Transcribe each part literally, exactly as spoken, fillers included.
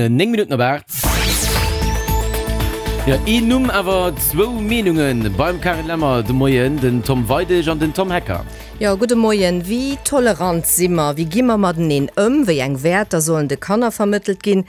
Néng Minutten op aacht. Jo, een Numm, awer zwou Meenungen beim Carine Lemmer de Moien, den Tom Weidig an den Tom Hecker. Jo, gudde Moien. Wéi tolerant si mer? Wéi gi mer mateneen ëm? Wéi eng Wäerter sollen de Kanner vermëttelt ginn?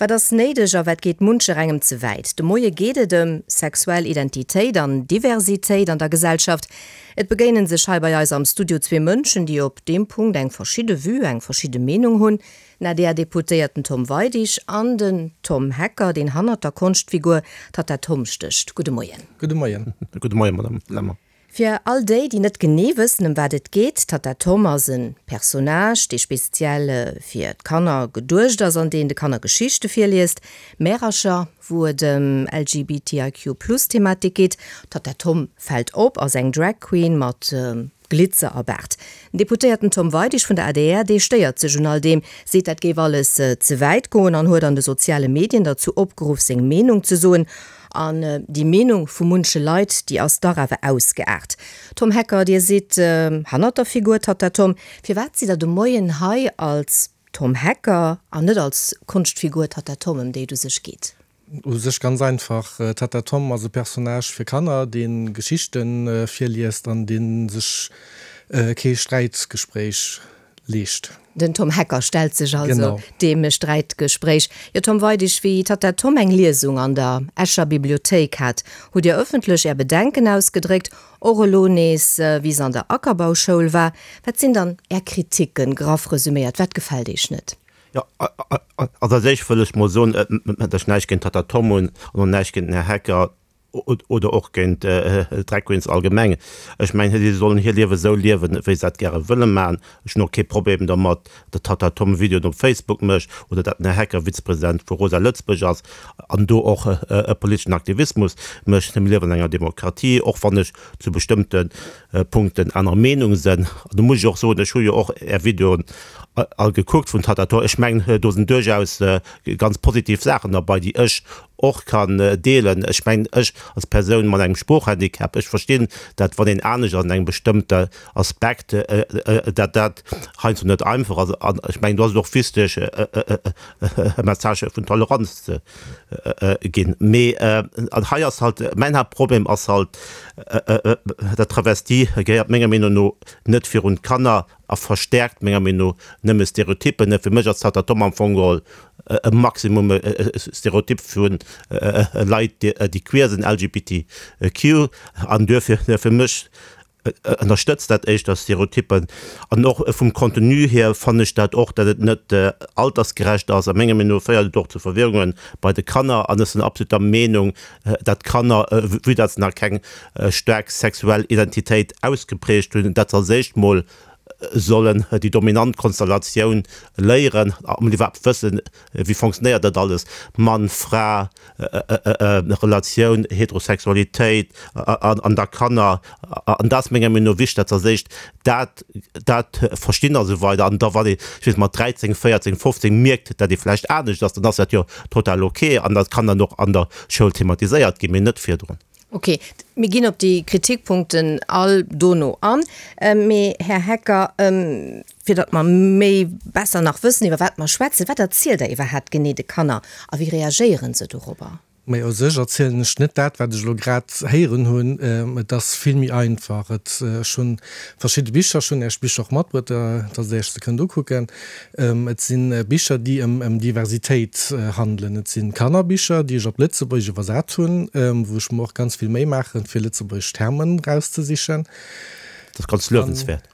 Wat ass néideg a wat geet muncherengem ze wäit? De Moie geet et ëm sexuell Identitéit an Diversitéit an der Gesellschaft. Et begéinen sech hei bei eis am Studio zwee Mënschen, déi op deem Punkt eng verschidde Vue, eng verschidde Meenung hunn, den A D R-Deputéierten Tom Weidig an den Tom Hecker, deen hannert der Konschtfigur Tatta Tom stécht. Gudde Moien. Gudde Moien. Gudde Moien, Madame Lemmer. Fir all déi, déi net genee wëssen, ëm wat et geet, Tatta Tom ass e Personnage, dee speziell fir d'Kanner geduecht ass an deen de Kanner Geschichte virliest, Märercher, wou et ëm L G B T I Q plus Thematik geet. Tatta Tom fält op, ass eng Drag Queen mat Glitzer a Baart. Den Deputéierten Tom Weidig vun der A D R, dee stéiert sech un all deem, seet, dat géif alles ze wäit goen an huet an de soziale Medien derzou opgeruff, seng Meenung ze soen. An déi Meenung vu munche Leit, déi ass dach awer ausgeaart. Tom Hecker, Dir sidd hannert der Figur Tatta Tom. Firwat sidd Der de Moien hei als Tom Hecker an net als Konschtfigur Tatta Tom, ëm déi et u sech geet? U sech ganz einfach, Tatta Tom ass e Personnage fir Kanner, dee Geschichte virliest an dee sech kee Sträitgespréich leescht. Den Tom Hecker stellt sech also deem Sträitgespréich. Jo, Tom Weidig, wéi Tatta Tom eng Liesung an der Escher Bibliothéik hat, hutt Dir ëffentlech Är Bedenken ausgedréckt, och elo nees, wéi se an der Ackerbauschoul war. Wat sinn dann Är Kriticken, graff resüméiert, wat gefält Iech net? Jo, also als éischt wëll ech mol soen, datt ech näischt géint Tatta Tom hunn an och näischt géint den Här Hecker oder och géint Drag Queens allgemeng. Ech mengen, si sollen hir Liewe sou liewen, wéi se dat gäre wëlle maachen. Ech hunn och kee Problem dermat, datt Tatta Tom Videoen op Facebook mécht oder datt den Här Hecker Vizepresident vu Rosa Lëtzebuerg ass an do och e politeschen Aktivismus mécht. Mir liewen an enger Demokratie, och wann ech zu bestëmmte Punkten aner Meenung sinn. An do muss ech och soen, ech hu jo och Är Videoen all gekuckt vun Tatta Tom. Ech mengen, do sinn duerchaus ganz positiv Saachen derbei, déi ech och kann deelen. Ech mengen, ech als Persoun mat engem Sproochhandicap, ech verstinn, dat wann een anescht ass an engem bestëmmte Aspekt, dat dat heiansdo net einfach ass. An ech mengen, do ass et och wichteg, e Message vun Toleranz ze ginn. Mee an hei ass halt, mäin Haaptproblem ass halt, dat Travestie gehéiert menger Meenung no net virun d'Kanner a verstäerkt menger Meenung no nëmme Stereotyppen. Fir mech ass Tatta Tom am Fong geholl e Maximum Stereotyp vu Leit, déi queer sinn, L G B T Q, an duerfir fir mech ënnerstëtzt dat éischter Stereotyppen. An och vum Contenu hier fannen ech dat och, datt et net altersgerecht ass. A menger Meenung no féiert et och zu Verwirrunge bei de Kanner an ech sinn absolut der Meenung, datt Kanner, vue datt se nach keng staark sexuell Identitéit ausgeprägt hunn, dat se als éischt mol sollen déi dominant Konstellatioun léieren an iwwerhaapt wëssen, wéi fonctionnéiert dat alles, Mann, Fra, Relatioun, Heterosexualitéit an da Kanner. An dat ass menger Meenung no wichteg, datt se als éischt dat dat verstinn a sou weider. An da wann ee, ech weess, mat dräizéng, véierzéng, fofzéng mierkt, datt ee vläicht anescht ass, dann ass dat jo total ok an dat kann dann och an der Schoul thematiséiert ginn, mee net virdrun. Ok, mir ginn op déi Kritikpunkten all dono an. Mee, Här Hecker, fir datt mer méi besser nach wëssen, iwwer wat mer schwätzen, wat erzielt Der iwwerhaapt genee de Kanner a wéi reagéiere se dorobber? Mee u sech erzielen ech net dat, wat ech elo grad héieren hunn. Et ass vill méi einfach. Et ech hunn verschidde Bicher, ech hunn Iech Bicher och matbruet, datt Der Iech se kënnt ukucken. Et si Bicher, déi ëm ëm Diversitéit handelen. Et si Kannerbicher, déi ech op Lëtzebuergesch iwwersat hunn, wou ech mer och ganz vill Méi maachen, fir lëtzebuergesch Termen rauszesichen. Dat ass ganz luewenswäert.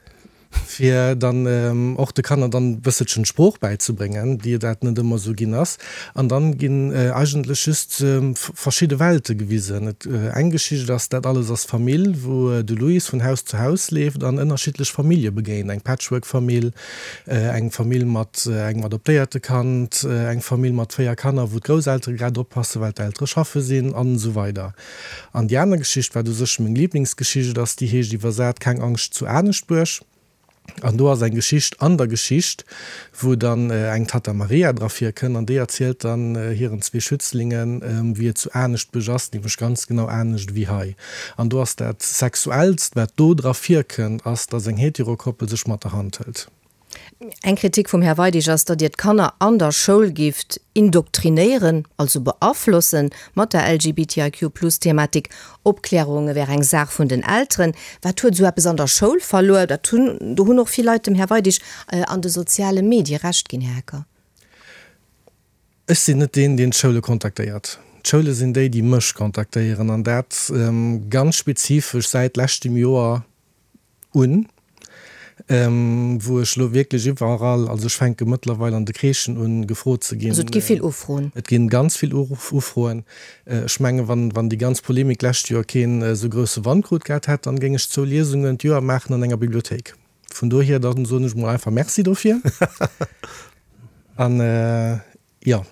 Fir dann och de Kanner dann e bësselchen d'Sprooch bäizebréngen, déi dat net ëmmer esou ginn ass. An dann ginn eigentlech just verschidde Welte gewisen. Et eng Geschicht ass Dat alles ass Famill, wou de Louis vun Haus zu Haus leeft an ënnerschiddlech Famillje begéint, eng Patchwork-Famill, eng Famill mat engem adoptéierte Kand, eng Famill mat véier Kanner, wou d'Grousseltere grad oppassen, well d'Eltere schaffe sinn, an esou weider. An déi aner Geschicht, wat u sech meng Liblingsgeschicht ass, déi heescht iwwersat Keng Angscht zu Aneschtbuerg. An do ass eng Geschicht an der Geschicht, wou dann eng Tatta Maria dra virkënnt an déi erzielt dann hiren zwee Schützlingen, wéi et zu Aneschtbuerg ass, nämlech ganz genau anescht wéi hei. An do ass dat Sexuellst, wat do dra virkënnt, ass, dass eng Heterokoppel sech mat der Hand hëlt. Eng Kritik vum Här Weidig ass, datt Dir d'Kanner an der Schoul gifft indoktrinéieren, also beaflossen, mat der LGBTIQ plus Thematik. Opklärung wär eng Saach vun den Elteren. Wat huet esou eppes an der Schoul verluer? Dat hunn, do hunn och vill Leit dem Här Weidig an de soziale Medie Recht ginn, Här Hecker. Ech sinn net deen, deen d'Schoule kontaktéiert. D'Schoule sinn déi, déi mech kontaktéieren, an dat ganz spezifesch säit leschtem Joer un, wou ech elo wierklech iwwerall, also ech fänke mëttlerweil an de Crèchen un, gefrot ze ginn. Also et gi vill Ufroen? Et gi ganz vill Ufroen. Ech menge wann, wann déi ganz Polemik d'lescht Joer keen esou grousse Wand krut gehat hätt, dann géing ech zwou Liesungen d'Joer maachen an enger Bibliothéik. Vun dohier, dann soen ech mol einfach Merci dofir. An jo,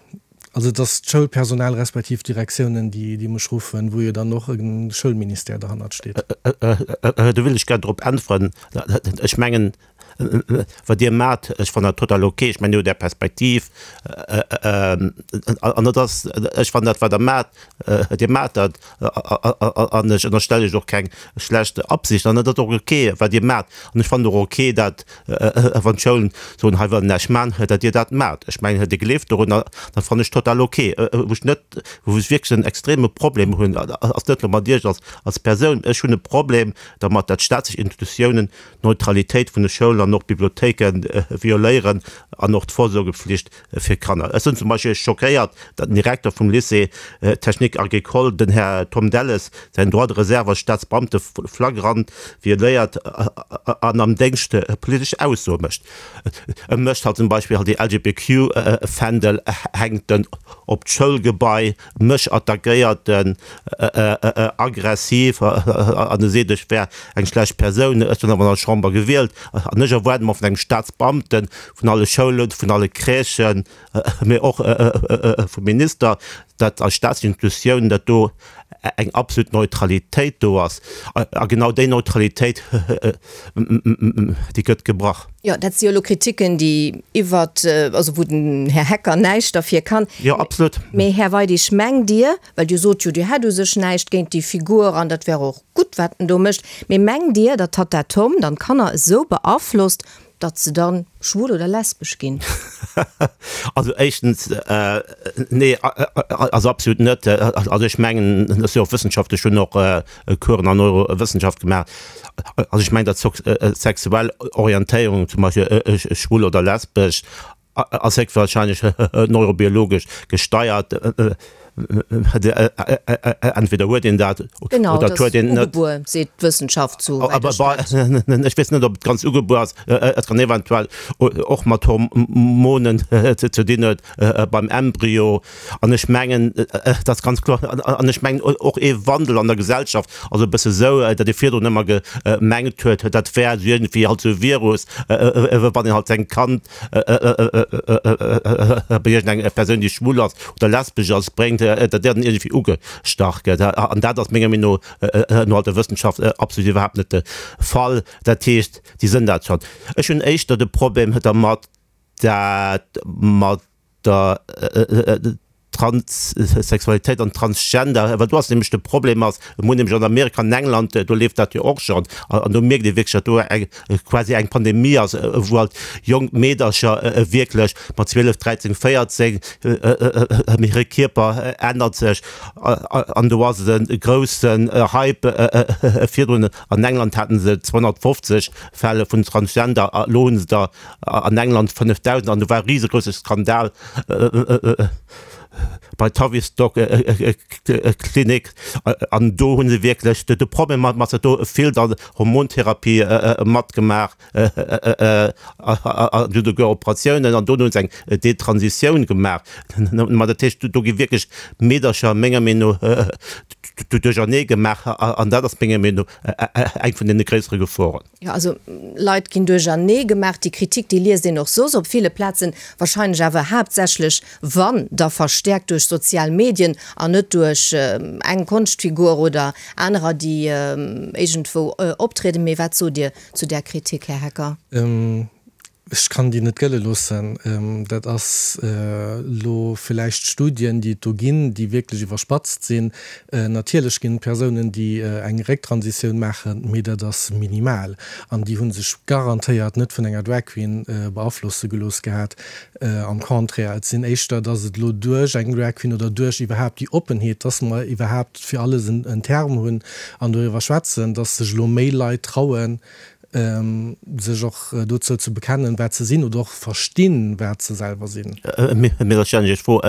also et ass d'Schoulpersonal respektiv d'Direktiounen, déi, déi mech ruffen, wou jo dann och e Schoulministère derhannert steet. Do wëll ech gär drop äntweren. Ech mengen, wat Dir maacht, ech fannen dat total ok. Ech mengen, Dir hutt Är Perspektiv an et ass, ech fannen dat, wat Der maacht, Dir maacht dat an ech ënnerstelle lech och keng schlecht Absicht an et ass och ok, wat Dir maacht. An ech fannen och ok, dat wann d'Schoulen soen, hei wëllen näischt maachen, datt Dir dat maacht. Ech mengen, Dir gleeft dorunner, dat fannen ech total ok. Wou ech net, wou ech wierklech en extreme Problem hunn, ass net elo mat Iech als, als Persoun. Ech hunn e Problem dermat, datt staatlech Institutiounen d'Neutralitéit vun de Schoulen an och Bibliothéike violéieren an och d'Vorsorgepflicht fir Kanner. Ech sinn zum Beispill schockéiert, datt den Direkter vum Lycée technique agricole, den Här Tom Delles, säin Droit de réserve als Staatsbeamte flagrant violéiert an am Déngscht politesch Aussoe mécht. E mécht halt zum Beispill halt déi L G B Q Fändel hänkt en op d'Schoulgebai, mech attackéiert en aggressiv an e seet, ech wär eng schlecht Persoun. Ech sinn awer an der Chamber gewielt an ech erwaarde mer vun engem Staatsbeamten, vun alle Schoulen, vun alle Crèchen, mee och vum Minister, datt als Staatsinstitutioun, datt do eng absolut Neutralitéit do ass. A genau déi Neutralitéit, déi gëtt gebrach. Jo, dat si jo elo Kritiken, déi iwwert, also wou den Här Hecker näischt derfir kann. Jo, absolut. Mee Här Weidig, mengt Dir, well Dir sot jo, Dir hätt u sech näischt géint déi Figur an dat wär och gutt, wat en do mécht, mee mengt Dir, datt Tatta Tom dann d'Kanner esou beaflosst, datt se dann schwul oder lesbesch ginn? Also éischtens, nee, also absolut net. Also ech mengen, dat ass jo och wëssenschaftlech, ech hunn och Coursen an Neurowëssenschaft gemaach, also ech mengen, datt sexuell Orientéierung, zum Beispill schwul oder lesbesch, ass héchstwahrscheinlech neurobiologesch gesteiert. Entweder huet een dat Genau, oder dat huet ass een net. Ugebuer, seet d'Wëssenschaft, souwäit Aber ech dat. Ech weess net, ob et ganz ugebuer ass. Et kann eventuell och mat Hormonen ze dinn huet beim Embryo. An ech mengen, dat ass ganz kloer, an ech mengen och ee Wandel an der Gesellschaft ass e bësse sou, datt ee virdrun ëmmer gemengt huet, dat wär esou iergendwéi halt sou e Virus, wann een halt seng Kand bei iergendeng Persoun, déi schwul ass oder lesbesch ass, bréngt, datt där dann iergendwéi ugestach gëtt. An dat ass menger Meenung no no halt der Wëssenschaft absolut iwwerhaapt net de Fall. Dat heescht, déi sënn dat schonn. Ech hunn éischter de Problem dermat, dat mat der Transsexualitéit an Transgender, well do ass nämlech de Problem ass, mir hunn nämlech an Amerika, an England, do leeft dat jo och schonn, an do mierkt ee wierklech, datt do eng quasi eng Pandemie ass, wou halt jonk Meedercher wierklech mat zwielef, dräizéng, véierzéng, hire Kierper ännert sech an do ass et e groussen Hype. Virdrun an England haten se zweehonnertfofzeg Fäll vun Transgender, elo hu se der an England fënnefdausend an do war e risegrousse Skandal bei Tavistock Klinik an do hu se wierklech de Problem mat mat do vill dann Hormontherapie matgemaach an souguer Operatiounen an do hu se eng Detransitioun gemaach. Ma dat heescht, do gi wierklech Meedercher menger Meenung no duerchernee gemaach an dat ass menger Meenung no eng vun deene gréissere Geforen. Jo, also Leit ginn duerchernee gemaach. Déi Kritik, déi liest een och soss op ville Plazen, wahrscheinlech awer haaptsächlech, wann da verstäerkt duerch sozial Medien an net duerch eng Konschtfigur oder anerer, déi iergendwou optrieden. Mee wat sot Dir zu där Kritik, Här Hecker? Ech kann déi net gëlle loossen. Dat ass elo villäicht Studien, déi et do ginn, déi wierklech iwwerspatzt sinn. Natierlech ginn et Persounen, déi eng Récktransitioun maachen, mee dat ass minimal. An déi hu sech garantéiert net vun enger Drag Queen beaflosse gelooss gehat. Am Contraire, et sinn éischter, dass et elo duerch eng Drag Queen oder duerch iwwerhaapt déi Oppenheet, dass mer iwwerhaapt fir alles en Term hunn an doriwwer schwätzen, dass sech elo méi Leit trauen, sech och dozou ze bekennen, wat se sinn, oder och verstinn, wat se selwer sinn. Mee da stellen ech Iech d'Fro,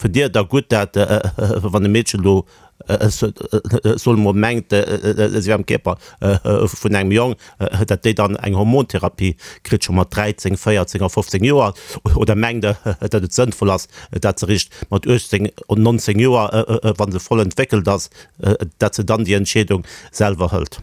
Fënnt Dir et da gutt, dat wann e Meedchen elo, soe mer mol, mengt, si wär am Kierper vun engem Jong, dat déi dann eng Hormontherapie kritt, scho mat dräizéng, véierzéng a fofzéng Joer? Oder mengt Der, dat et sënnvoll ass, dat se eréischt mat uechtzéng, nonzéng Joer, wa se voll entwéckelt ass, dat se dann déi Entscheedung selwer hëlt?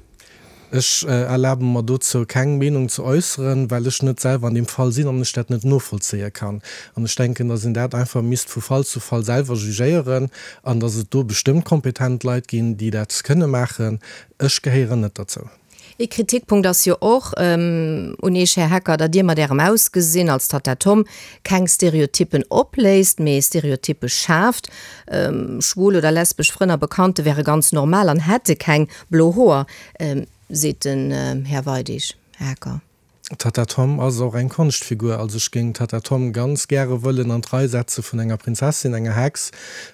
Ech erlabe mer dozou keng Meenung ze äusseren, well ech net selwer an deem Fall sinn an ech dat net novollzéie kann. An ech denken, dass een dat einfach misst vu Fall zu Fall selwer jugéieren an dass et do bestëmmt kompetent Leit ginn, déi dat kënne maachen. Ech gehéieren net derzou. Ee Kritikpunkt ass jo och un Iech, Här Hecker, datt Dir mat Ärem Ausgesinn als Tatta Tom keng Stereotyppen opléist, mee Stereotyppe schaaft. Schwul oder lesbesch Frënn a Bekannte wäre ganz normal an hätte keng blo Hoer. Seet den Här Weidig. Här Hecker. D'Tatta Tom ass och eng Konschtfigur. Also ech géing d'Tatta Tom ganz gäre wëllen an d'Rei setze vun enger Prinzessin, enger Hex,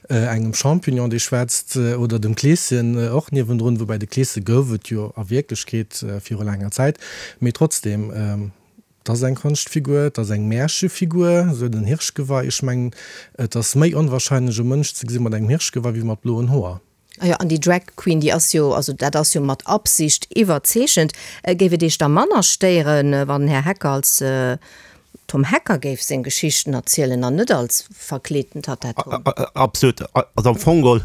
engem Champignon, dee schwätzt, oder dem Kleeschen och niewendrun, woubäi de Kleesche gouf et jo a Wierklechkeet viru laanger Zäit. Mee trotzdem, et ass eng Konschtfigur, et ass eng Märchefigur, esou den Hirschgeweih. Ech mengen, et ass méi onwahrscheinlech e Mënsch ze gesi mat engem Hirschgeweih wéi mat bloen Hoer. Ah jo, an déi Drag Queen, déi ass jo, also dat ass jo mat Absicht iwwerzeechent. Géif et Iech da manner stéieren, wann den Här Hecker als Tom Hecker géif seng Geschichten erzielen an net als verkleeten Tatta Tom? Absolut. Also am Fong geholl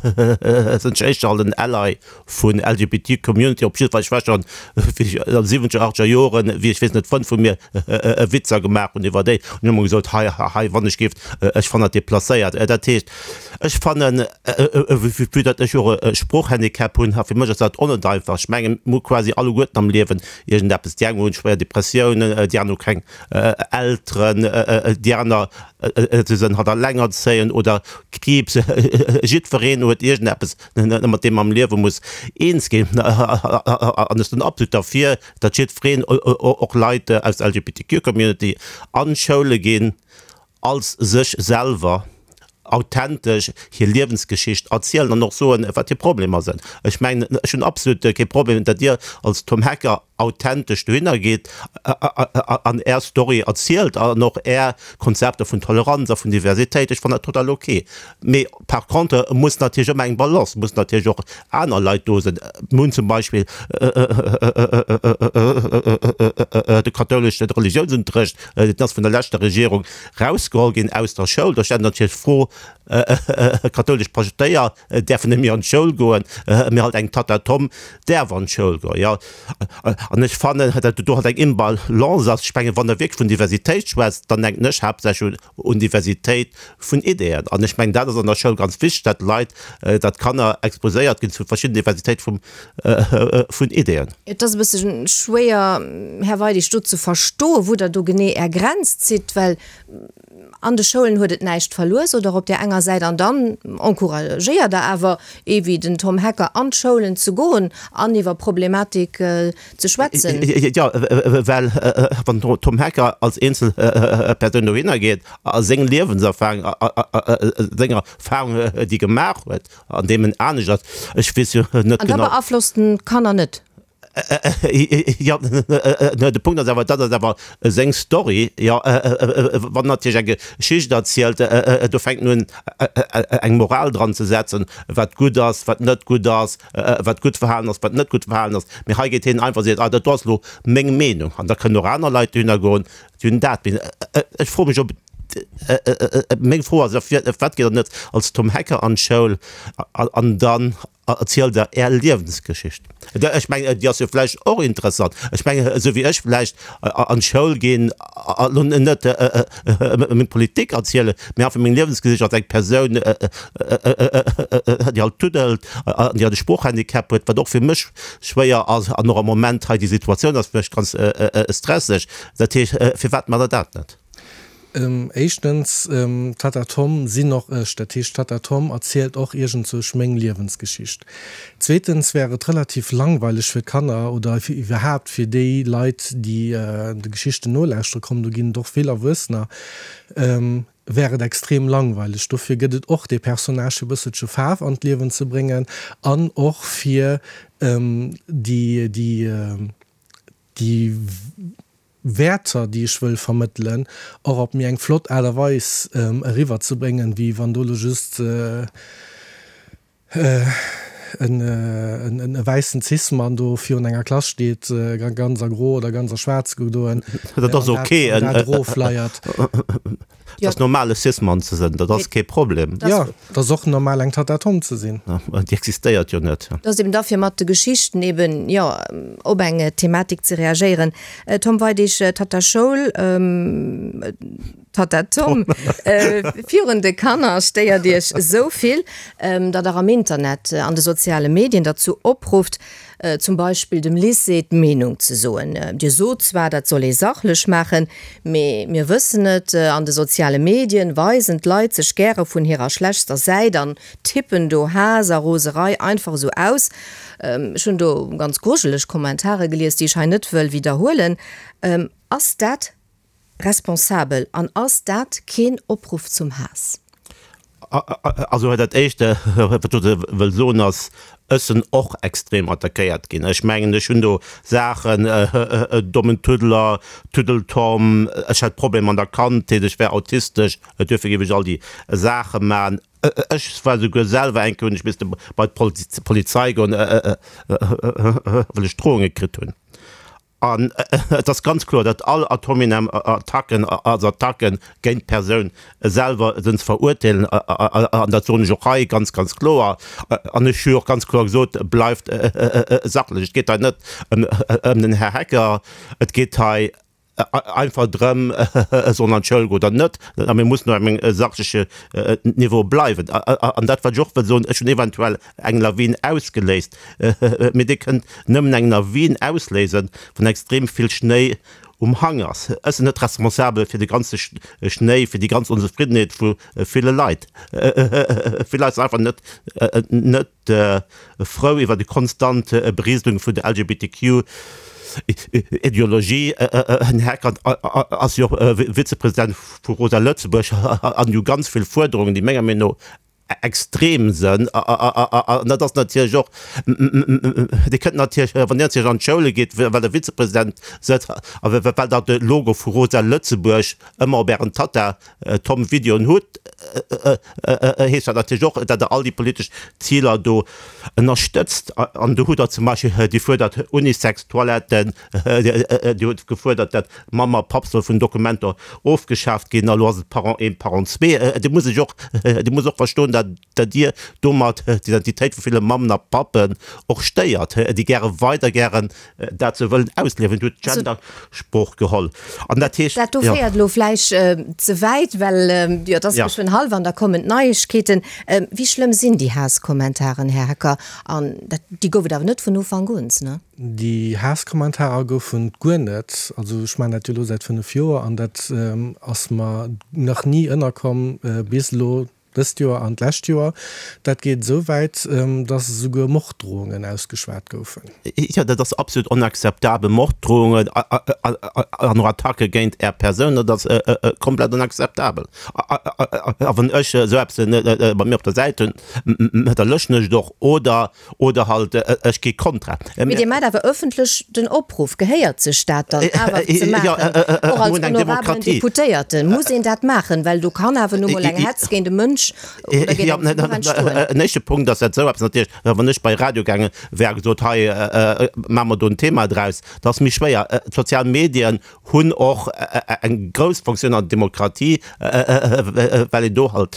sinn ech éischter alt en Ally vun L G B T Community, op jiddwer Fall, ech war schonn wéi ech an de siwwenzeger, achtzeger Joren, wéi ech weess net, Frënn vu mir Witzer gemaach hunn iwwer déi, hunn ech ëmmer gesot, hei, hei, wann ech géif, ech fannen dat deplacéiert. Dat heescht, ech fannen, vue datt ech och e Sproochhandicap hunn, fir mech ass dat och net einfach. Ech mengen, mir hu quasi alleguerten am Liewen iergendeppes. Déi eng hunn schwéier Depressiounen, déi aner hu keng Elteren, déi aner sinn halt allengerzéiend oder Kriibs. Jiddwereen huet iergendeppes, mat deem am Liewe muss eens ginn. An ech sinn absolut derfir, datt jiddwereen, och Leit aus der L G B T Q Community, an d'Schoule ginn als sech selwer, authentesch hir Liewensgeschicht erzielen an och soen, wat hir Problemer sinn. Ech mengen, ech hunn absolut kee Problem, datt Dir als Tom Hecker authentesch dohinner gitt an Är Story erzielt an och Är Konzepter vun Toleranz a vun Diversitéit. Ech fannen dat total ok. Mee par contre muss natierlech ëmmer eng Balance, mussen natierlech och aner Leit do sinn. Mir hunn zum Beispill de kathoulesche Reliounsunterrecht, deen ass vun der leschter Regierung rausgeholl ginn aus der Schoul. Do stellt natierlech d'Fro, Kathoulesch Paschtéier däerfen net méi an d'Schoul goen, mee halt eng Tatta Tom däerf an d'Schoul goen. Jo, an ech fannen, datt do halt eng Imbalance ass. Ech mengen, wann Der wierklech vun Diversitéit schwätzt, dann denken ech haaptsächlech un Diversitéit vun Ideeën. An ech mengen, dat ass an der Schoul ganz wichteg, datt d'Leit, datt d'Kanner exposéiert ginn zu verschidden Diversitéit vum, vun Ideeën. Et ass e bësse schwéier, Här Weidig, do ze verstoen, wou Der do genee Är Grenz zitt, well an de Schoulen huet et näischt verluer, sot Der op där enger Säit, an dann encouragéiert Der awer ee wéi den Tom Hecker, an d'Schoulen ze goen an iwwer Problematik ze schwätzen. Jo, well wann den Tom Hecker als eenzel Persoun dohinner geet a seng Liewenserfahrung, seng Erfahrung, déi e gemaach huet, an deem en anescht ass, ech weess jo net An da genau. beaflosst en d'Kanner net. Jo, de Punkt ass awer, dat ass awer seng Story. Jo, wann en natierlech eng Geschicht erzielt, do fänkt en un eng Moral dran ze setzen, wat gutt ass, wat net gutt ass, wat gutt Verhalen ass, wat net gutt Verhalen ass. Mee hei geet hien einfach a seet, ah, dat do ass elo meng Meenung. An da kënnen och aner Leit dohinner goen, déi hunn dat. Mee ech froe mech, ob Meng Fro ass, firwat gitt Der net als Tom Hecker an d'Schoul an dann erzielt Der Är Liewensgeschicht? Ech mengen, déi ass jo vläicht och interessant. Ech mengen, esou wéi ech vläicht an d'Schoul ginn a lo net meng Politik erzielen, mee einfach meng Liewensgeschicht als eng Persoun, déi halt tuddelt an déi halt e Sproochhandicap huet, wat och fir mech schwéier ass an och am Moment hei déi Situatioun ass fir mech ganz stresseg. Dat heescht, firwat maacht Der dat net? Éischtens, Tatta Tom sinn och ech. Dat heescht, Tatta Tom erzielt och iergendzousch meng Liewensgeschicht. Zweetens wär et relativ langweileg fir d'Kanner oder iwwerhaapt fir déi Leit, déi de Geschichten nolauschtere kommen, do ginn et och vill Erwuessener, wär et extrem langweileg. Dofir gëtt et och dee Personnage, fir e bësselche Faarf an d'Liewen ze bréngen an och fir déi, déi, déi Wäerter, déi ech wëll vermëttelen, och op méi eng flott Aart a Weis eriwwer ze bréngen, wéi wann do elo just e wäissen Cis-Mann do virun enger Klass steet, ganz a gro oder ganz a schwaarz gedoen, Dat ass ok, an dat erofleiert. Et ass normal e Cis-Mann ze sinn, dat ass kee Problem. Jo, et ass och normal eng Tatta Tom ze sinn. Déi existéiert jo net. Dat ass eben da fir mat de Geschichten eben, jo, op eng Thematik ze reagéieren. Tom Weidig, Tatta Schoul, Tatta Tom, virun de Kanner stéiert Iech esou vill, datt Der am Internet, an de soziale Medien derzou oprufft, zum Beispill dem Lycée d'Meenung ze soen. Dir sot zwar, dat soll ee sachlech maachen, mee mir wëssen et, an de soziale Medien weisen d'Leit sech gäre vun hirer schlechtster Säit an tippen do Haass a Roserei einfach esou aus. Ech hunn do ganz grujeleg Kommentare gelies, déi ech hei net wëll widderhuelen. Ass dat responsabel an ass dat keen Opruff zum Haass? Also dat Éischt, wat ech dozou wëll soen, ass, ech sinn och extrem attackéiert ginn. Ech mengen, ech hunn do Saachen, dommen Tuddler, Tuddeltom, ech hätt Problemer an der Kandheet, ech wär autistesch, duerfir géif ech all déi Saache man. Ech war souguer selwer eng Kéier, hunn ech misste bei d'Polizei goen, well ech Drohunge kritt hunn. An et ass ganz kloer, datt all ad hominem Attacken als Attacke géint d'Persoun selwer sinn ze verurteelen. An dat soen ech och hei ganz, ganz kloer. An ech hu och ganz kloer gesot, Bleift sachlech! Et geet hei net ëm den Här Hecker. Et geet hei einfach drëm, soll en an d'Schoul goen oder net. A mir mussen op engem sachleche Niveau bleiwen. An dat, wat ech och wëll soen, Ech hunn eventuell eng Lawin ausgeléist, mee Dir kënnt nëmmen eng Lawin ausléisen, wann extrem vill Schnéi um Hang ass. Ech sinn net responsabel fir de ganze Schnéi, fir déi ganz Onzefriddenheet vu ville Leit. Vill Leit sinn einfach net, net frou iwwer déi konstant Berieselung vun der LGBTQ. Ideologie. Den Här Heckert ass jo och Vizepresident vu Rosa Lëtzebuerg an jo ganz vill Fuerderungen, déi menger Meenung no extrem sënn. An dat ass natierlech och, Dir kënnt natierlech, wann Dir natierlech an d'Schoule gitt, well Der Vizepresident sëtzt a well Der de Logo vu Rosa Lëtzebuerg ëmmer op Ären Tatta Tom Videoen hutt, heescht dat natierlech och, datt Der all déi politesch Ziler do ënnerstëtzt. An do hutt Der zum Beispill déi fuerdert Unisex-Toiletten, Dir hutt gefuerdert, datt Mamm a Papp soll vun Dokumenter ofgeschaaft ginn, a lo ass et Parent een, Parent zwee. Dir musst lech och, Dir musst och verstoen, datt datt Dir domat d'Identitéit vu ville Mammen a Pappen och stéiert, déi gäre weider gären dat sou wëllen ausliewen. Dir hutt d'Gendersprooch geholl. An dat heescht, Dat do jo. féiert elo vläicht ze wäit, well, jo, et ass geschwënn hallwer an da kommen d'Neiegkeeten. Wéi schlëmm sinn déi Haasskommentaren, Här Hecker? An dat, déi gouf et awer net vun Ufank un, ne? Déi Haasskommentarer goufen et guer net. Also ech maachen dat jo elo säit fënnef Joer an dat ass mer nach ni ënnerkomm bis elo dëst Joer an d'lescht Joer. Dat geet esou wäit, datt esouguer Morddrohungen ausgeschwat goufen. Jo, dat ass absolut onakzeptabel. Morddrohungen an och Attacke géint Är Persoun, dat ass komplett onakzeptabel. A wann ech esou eppes bei mir op der Säit hunn, da löschen ech et och oder oder halt ech gi kontra. Mee Dir maacht awer ëffentlech den Opruff, gehéiert sech dat dann awer ze maachen, och als honorabelen Deputéierten? Muss een dat maachen? Well do kann awer nu mol eng Hetz géint e Mënsch falsch oder geet Ja, engem d'Buch entstoen? En éischte Punkt ass dat esou eppes natierlech, wann ech bei Radio gaange wär a gesot, hei maache mer do en Thema draus, dat ass méi schwéier. D'sozial Medien hunn och eng grouss Fonctioun an der Demokratie, well een do halt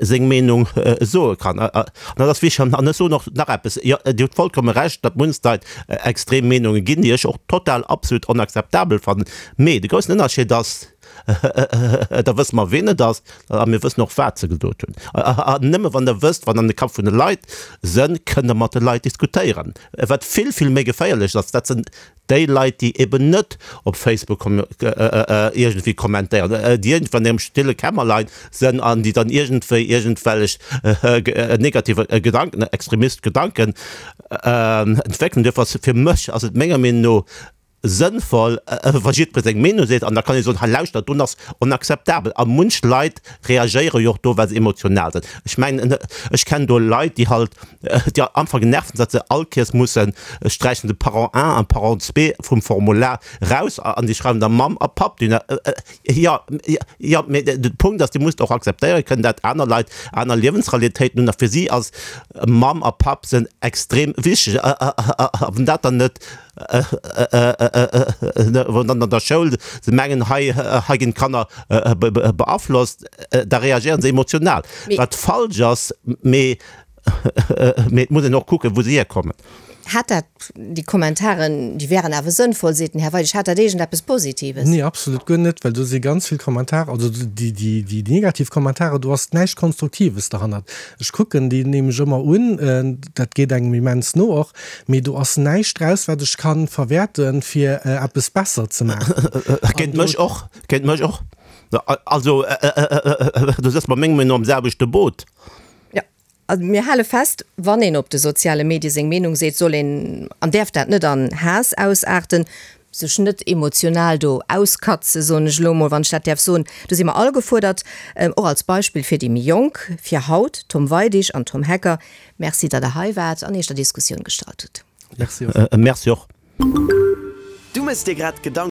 seng Meenung soe kann. An dat ass wichteg. An ech soen och nach eppes, jo, Dir hutt vollkomme Recht, datt munch Leit extrem Meenunge ginn, déi ech och total absolut onakzeptabel fannen. Mee de groussen Ënnerscheed ass, da wësse mer, ween et ass, a mir wëssen och, wat se gesot hunn. An nëmme wann Der wësst, wat an de Kapp vun de Leit sënn, kënnt Der mat de Leit diskutéieren. Wat vill, vill méi geféierlech ass, dat sinn déi Leit, déi eben net op Facebook iergendwéi kommentéieren, déi iergendwéi an hirem stille Kämmerlein sënn an déi dann iergendwéi iergendwellech negative Gedanken, extremist Gedanken entwéckelen. Duerfir ass fir mech ass et menger Meenung no sënnvoll, wa jiddweree seng Meenung seet, an da kann ee soen, hei lauschtert, deen ass onakzeptabel. A munch Leit reagéiere jo och do, well se emotional sinn. Ech mengen, ech kennen do Leit, déi halt, déi am Anfang genervt sinn, datt se all Kéiers mussen sträichen de Parent un an Parent zwee vum Formular raus an déi schreiwen da Mamm a Papp. Jo, jo, mee de Punkt ass, Dir musst och akzeptéiere kënnen, dat aner Leit aner Liewensrealitéiten hunn a fir si ass Mamm a Papp sinn extrem wichteg. A wann dat dann net Wann dann an der Schoul se mengen, hei hei ginn d'Kanner beaflosst, da reagéieren se emotional, wat falsch ass. Mee mee et muss een och kucken, wou se hierkommen. Hat dat, déi Kommentaren, déi wären awer sënnvoll, seet den Här Weidig, hat dat iergendeppes Positives? Nee, absolut guer net, well do si ganz vill Kommentare, also déi déi déi negativ Kommentare, do ass näischt Konstruktives derhannert. Ech kucken déi nämlech ëmmer un, dat geet engem immens no och, mee do ass näischt draus, wat ech ka verwäerten, fir eppes besser ze maachen. Géint mech och, géint mech och. Also, do sëtze mer mengem Meenung no am selwechte Boot. Jo, also mir hale fest, wann een op de soziale Medie seng Meenung seet, soll een an däerf dat net an Haass ausaarten. Sech net emotional do auskatze, soen ech elo emol, wann ech dat däerf soen. Do si mer all gefuerdert, och als Beispill fir déi méi Jonk. Fir haut, Tom Weidig an Tom Hecker, Merci, datt Der hei waart an Iech der Diskussioun gestallt hutt. Merci och. Merci och. Du mëss dir grad Gedanken.